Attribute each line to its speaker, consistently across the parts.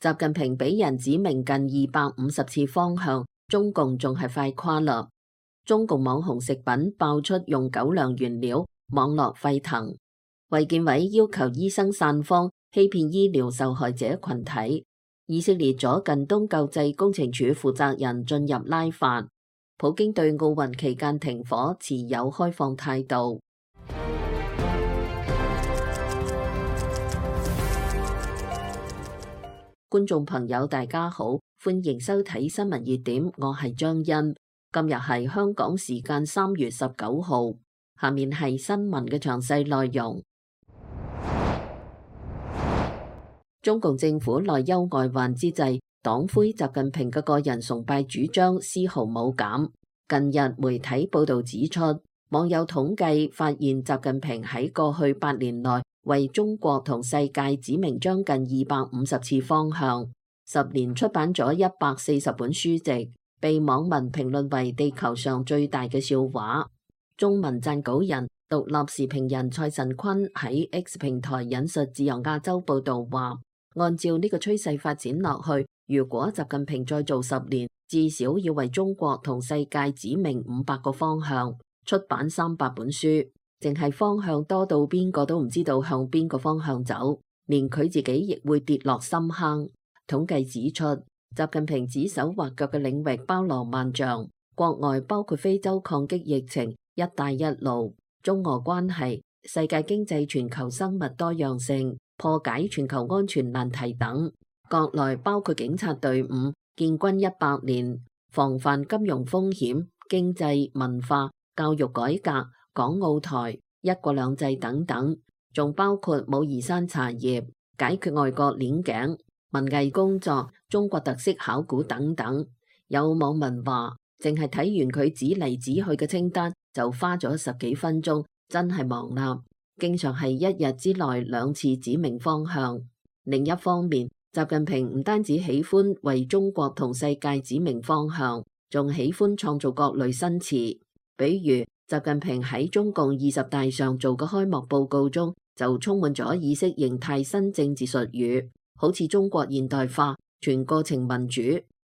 Speaker 1: 習近平俾人指明近250次方向，中共仲係快垮啦。中共網紅食品爆出用狗糧原料，網絡沸騰。衛健委要求醫生散謊，欺騙醫療受害者群體。以色列左近東救濟工程處負責人進入拉法。普京對奧運期間停火持有開放態度。觀眾朋友大家好，歡迎收睇新聞熱點，我係張欣。今日係香港時間3月19號，下面係新聞嘅詳細內容。中共政府內憂外患之際，黨魁習近平嘅個人崇拜主張絲毫冇減。近日媒體報道指出，網友統計發現習近平喺過去8年內為中國同世界指明將近250次方向，10年出版咗140本書籍，被網民評論為地球上最大嘅笑話。中文撰稿人、獨立時評人蔡陳坤喺 X 平台引述自由亞洲報道話，按照呢個趨勢發展落去，如果習近平再做10年，至少要為中國同世界指明500個方向，出版300本書。淨係方向多到邊個都唔知道向邊個方向走，連佢自己亦會跌落深坑。統計指出，習近平指手畫腳嘅領域包羅萬象，國外包括非洲抗擊疫情、一帶一路、中俄關係、世界經濟、全球生物多樣性、破解全球安全難題等；國內包括警察隊伍、建軍100年、防範金融風險、經濟、文化、教育改革、港澳台、一國兩制等等，仲包括武夷山茶葉、解決外國鏈頸、文藝工作、中國特色考古等等。有網民話，淨係睇完佢指嚟指去嘅清單，就花咗10幾分鐘，真係忙啦。經常係1日之內2次指明方向。另一方面，習近平唔單止喜歡為中國同世界指明方向，仲喜歡創造各類新詞，比如習近平喺中共20大上做嘅開幕報告中，就充滿咗意識形態新政治術語，好似中國現代化、全過程民主、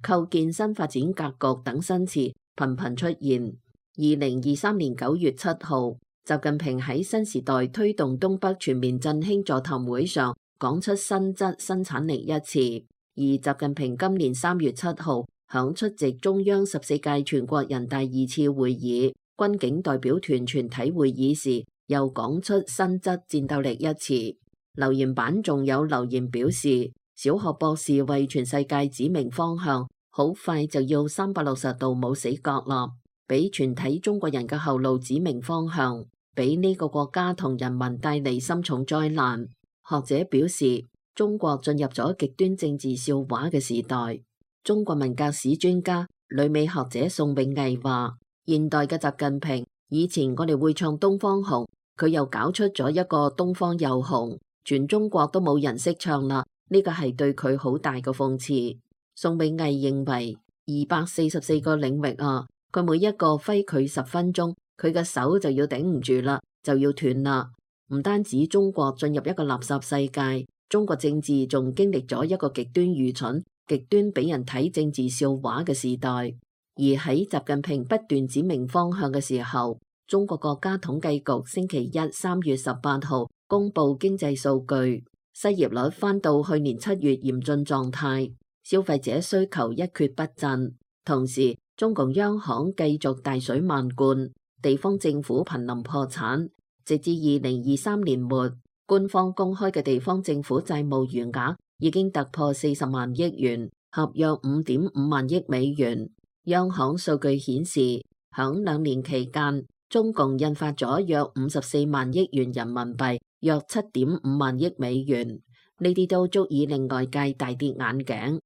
Speaker 1: 構建新發展格局等新詞頻頻出現。2023年9月7號，習近平喺新時代推動東北全面振興座談會上講出新質新產力一詞，而習近平今年3月7號響出席中央14屆全國人大2次會議軍警代表團全體會議時，又講出新質戰鬥力一詞。留言板仲有留言表示，小學博士為全世界指明方向，好快就要360度冇死角啦，俾全體中國人嘅後路指明方向，俾呢個國家同人民帶嚟深重災難。學者表示，中國進入咗極端政治笑話嘅時代。中國文革史專家、旅美學者宋永毅話，現代嘅習近平，以前我哋會唱東方紅，佢又搞出咗一個東方又紅，全中國都冇人識唱啦，呢個係對佢好大嘅諷刺。宋永毅認為244個領域啊，佢每一個揮佢10分鐘，佢嘅手就要頂唔住啦，就要斷啦。唔單止中國進入一個垃圾世界，中國政治仲經歷咗一個極端愚蠢、極端俾人睇政治笑話嘅時代。而喺習近平不斷指明方向嘅時候，中國國家統計局星期一3月18號公布經濟數據，失業率翻到去年7月嚴峻狀態，消費者需求一蹶不振。同時，中共央行繼續大水漫灌，地方政府瀕臨破產。直至2023年末，官方公開嘅地方政府債務餘額已經突破40萬億元，合約5.5萬億美元。央行數據顯示，響2年期間，中共印發咗約54萬億元人民幣，約7.5萬億美元，呢啲都足以令外界大跌眼鏡。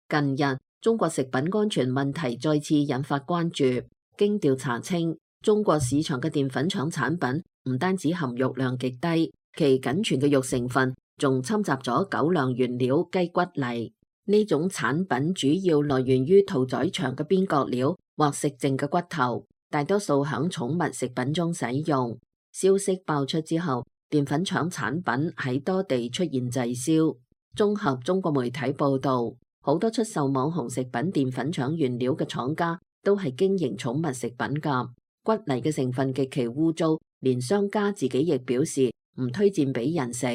Speaker 1: 近日，中國食品安全問題再次引發關注。經調查稱，中國市場嘅澱粉廠產品唔單止含肉量極低，其僅存嘅肉成分仲侵襲咗狗糧原料雞骨泥。呢種產品主要來源於屠宰場嘅邊角料或食剩嘅骨頭，大多數響寵物食品中使用。消息爆出之後，澱粉廠產品喺多地出現滯銷。綜合中國媒體報導，好多出售網紅食品澱粉廠原料嘅廠家都係經營寵物食品㗎。骨泥嘅成分極其污糟，連商家自己亦表示唔推薦俾人食，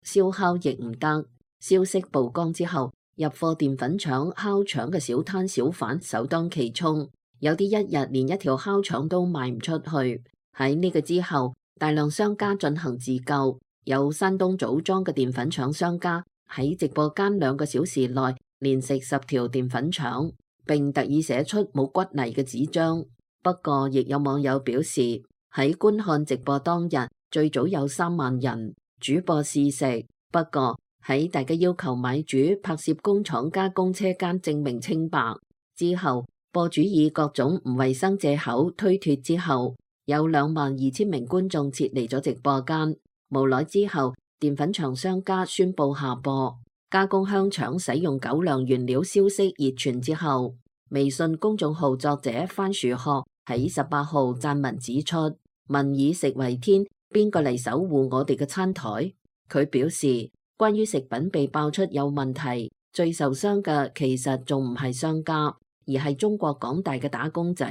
Speaker 1: 燒烤亦唔得。消息曝光之後，入貨澱粉廠烤腸嘅小攤小販首當其衝，有啲一日連一條烤腸都賣唔出去。喺呢個之後，大量商家進行自救，有山東棗莊嘅澱粉廠商家喺直播間2個小時內連食10條澱粉腸，並特意寫出冇骨泥嘅紙張。不過，亦有網友表示喺觀看直播當日，最早有3萬人主播試食。不過喺大家要求買主拍攝工廠加工車間證明清白之後，播主以各種唔衛生借口推脱之後，有22000名觀眾撤離咗直播間。無奈之後，澱粉廠商家宣布下播。加工香腸使用狗糧原料消息熱傳之後，微信公眾號作者番薯殼喺18號撰文指出：民以食為天，邊個嚟守護我哋嘅餐台？佢表示，關於食品被爆出有問題，最受傷嘅其實仲唔係商家，而係中國廣大嘅打工仔。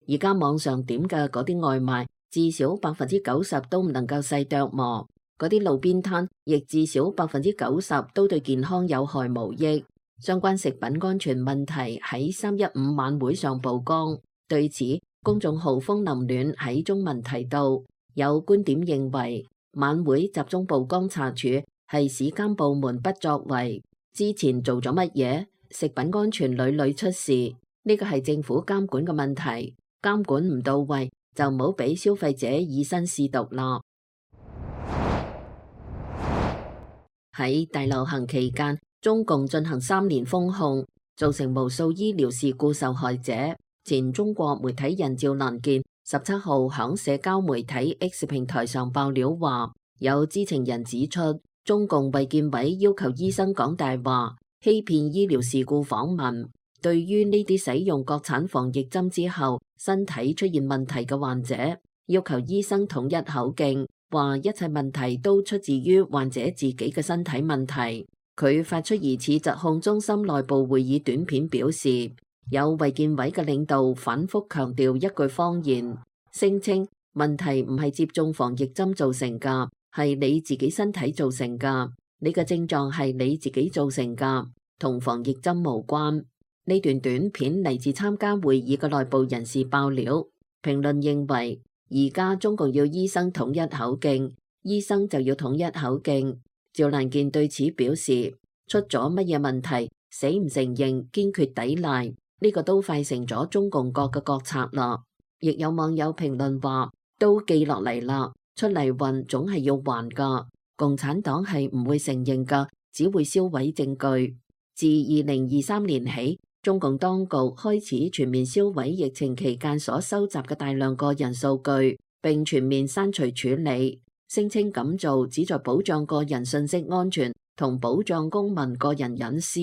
Speaker 1: 而家網上點嘅嗰啲外賣，至少90%都唔能夠細剁磨。嗰啲路邊攤亦至少90%都對健康有害無益。相關食品安全問題喺315晚會上曝光。對此，公眾號風林暖喺中文提到，有觀點認為晚會集中曝光查處係市監部門不作為，之前做咗乜嘢？食品安全屢屢出事，呢個係政府監管嘅問題，監管唔到位就唔好俾消費者以身試毒啦。喺大流行期間，中共進行3年封控，造成無數醫療事故受害者。前中國媒體人趙蘭健17號響社交媒體 X 平台上爆料話，有知情人指出，中共衛健委要求醫生講大話，欺騙醫療事故訪問。對於呢啲使用國產防疫針之後身體出現問題嘅患者，要求醫生統一口徑，話一切問題都出自於患者自己嘅身體問題。佢發出疑似疾控中心內部會議短片，表示有衛健委嘅領導反覆強調一句謊言，聲稱問題唔係接種防疫針造成㗎，係你自己身體造成㗎，你嘅症狀係你自己造成㗎，同防疫針無關。呢段短片嚟自參加會議嘅內部人士爆料。評論認為，而家中共要醫生統一口徑，醫生就要統一口徑。趙蘭健對此表示，出咗乜嘢問題，死唔承認，堅決抵賴，呢個都快成咗中共國嘅國策啦。亦有網友評論話，都記落嚟啦，出嚟混總係要還噶，共產黨係唔會承認噶，只會銷毀證據。自2023年起，中共當局開始全面銷毀疫情期間所收集嘅大量個人數據，並全面刪除處理，聲稱咁做旨在保障個人信息安全同保障公民個人隱私。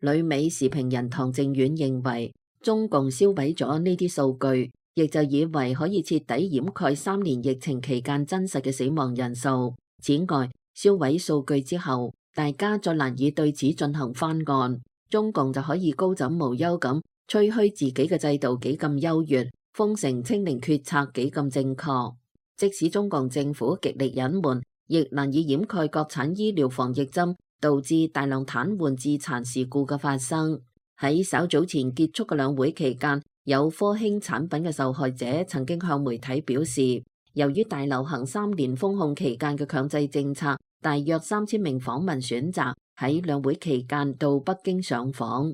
Speaker 1: 旅美時評人唐正遠認為，中共銷毀咗呢啲數據，亦就以為可以徹底掩蓋3年疫情期間真實嘅死亡人數。此外，銷毀數據之後，大家再難以對此進行翻案，中共就可以高枕無憂咁吹噓自己嘅制度幾咁優越，封城清零決策幾咁正確。即使中共政府極力隱瞞，亦難以掩蓋國產醫療防疫針導致大量癱瘓致殘事故嘅發生。喺稍早前結束嘅兩會期間，有科興產品嘅受害者曾經向媒體表示，由於大流行3年封控期間嘅強制政策，大約3000名訪民選擇喺兩會期間到北京上訪。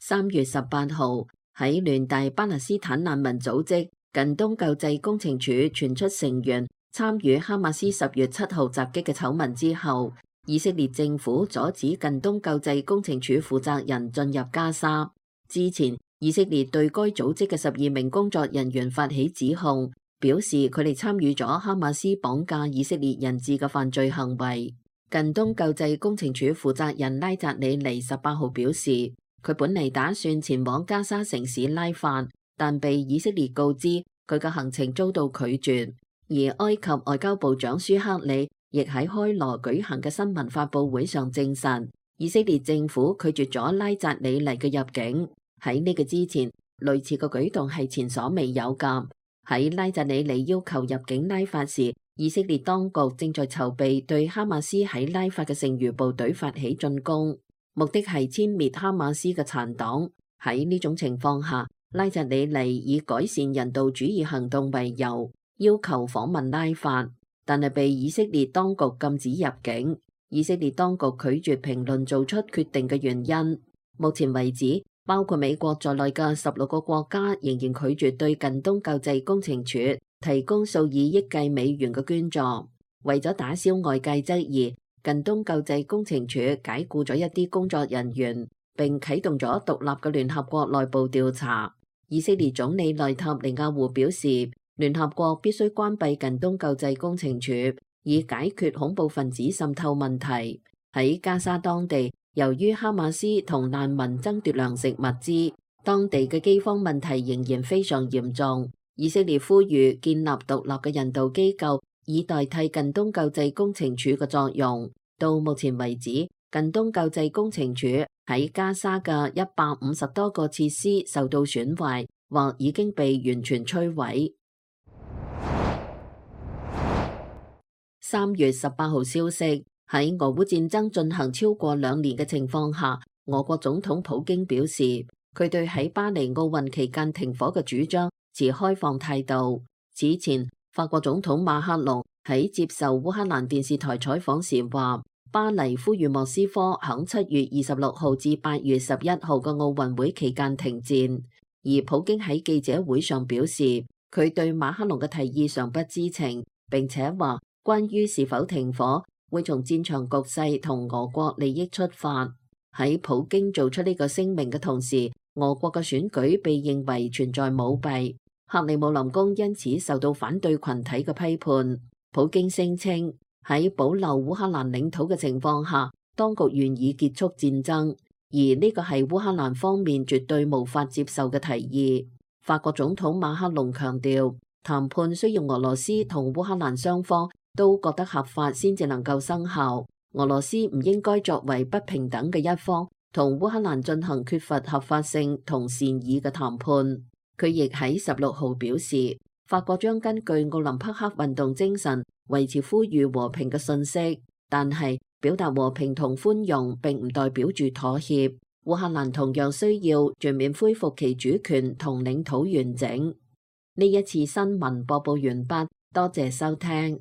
Speaker 1: 3月18號，喺聯大巴勒斯坦難民組織近東救濟工程處傳出成員參與哈馬斯10月7號襲擊嘅醜聞之後，以色列政府阻止近東救濟工程處負責人進入加沙。之前，以色列對該組織嘅12名工作人員發起指控，表示佢哋參與咗哈馬斯綁架以色列人質嘅犯罪行為。近東救濟工程處負責人拉扎里尼18號表示，佢本嚟打算前往加沙城市拉法，但被以色列告知佢嘅行程遭到拒絕。而埃及外交部長舒克里亦喺開羅舉行嘅新聞發佈會上證實，以色列政府拒絕咗拉扎里尼嘅入境。喺呢個之前，類似嘅舉動係前所未有㗎。喺拉扎里尼要求入境拉法時，以色列當局正在籌備對哈馬斯喺拉法嘅剩餘部隊發起進攻，目的係殲滅哈馬斯嘅殘黨。喺呢種情況下，拉扎里尼以改善人道主義行動為由，要求訪問拉法，但係被以色列當局禁止入境。以色列當局拒絕評論做出決定嘅原因。目前為止，包括美國在內嘅16個國家仍然拒絕對近東救濟工程處提供數以億計美元嘅捐助。為咗打消外界質疑，近東救濟工程處解僱咗一啲工作人員，並啟動咗獨立嘅聯合國內部調查。以色列總理內塔尼亞胡表示，聯合國必須關閉近東救濟工程處，以解決恐怖分子滲透問題。喺加沙當地，由於哈馬斯同難民爭奪糧食物資，當地嘅饑荒問題仍然非常嚴重。以色列呼籲建立獨立嘅人道機構，以代替近東救濟工程處嘅作用。到目前為止，近東救濟工程處喺加沙嘅150多個設施受到損壞，或已經被完全摧毀。3月18號消息，喺俄烏戰爭進行超過2年嘅情況下，俄國總統普京表示，佢對喺巴黎奧運期間停火嘅主張持開放態度。此前，法國總統馬克龍喺接受烏克蘭電視台採訪時話，巴黎呼籲莫斯科喺7月26號至8月11號嘅奧運會期間停戰。而普京喺記者會上表示，佢對馬克龍嘅提議尚不知情，並且話關於是否停火，會從戰場局勢同俄國利益出發。喺普京做出呢個聲明嘅同時，俄國嘅選舉被認為存在舞弊，克里姆林宮因此受到反對群體嘅批判。普京聲稱喺保留烏克蘭領土嘅情況下，當局願意結束戰爭，而呢個係烏克蘭方面絕對無法接受嘅提議。法國總統馬克龍強調，談判需要俄羅斯同烏克蘭雙方都覺得合法先至能夠生效。俄羅斯唔應該作為不平等嘅一方，同烏克蘭進行缺乏合法性同善意嘅談判。佢亦喺16號表示，法國將根據奧林匹克運動精神維持呼籲和平嘅信息，但係表達和平同寬容並唔代表住妥協。烏克蘭同樣需要全面恢復其主權同領土完整。呢一次新聞播報完畢，多謝收聽。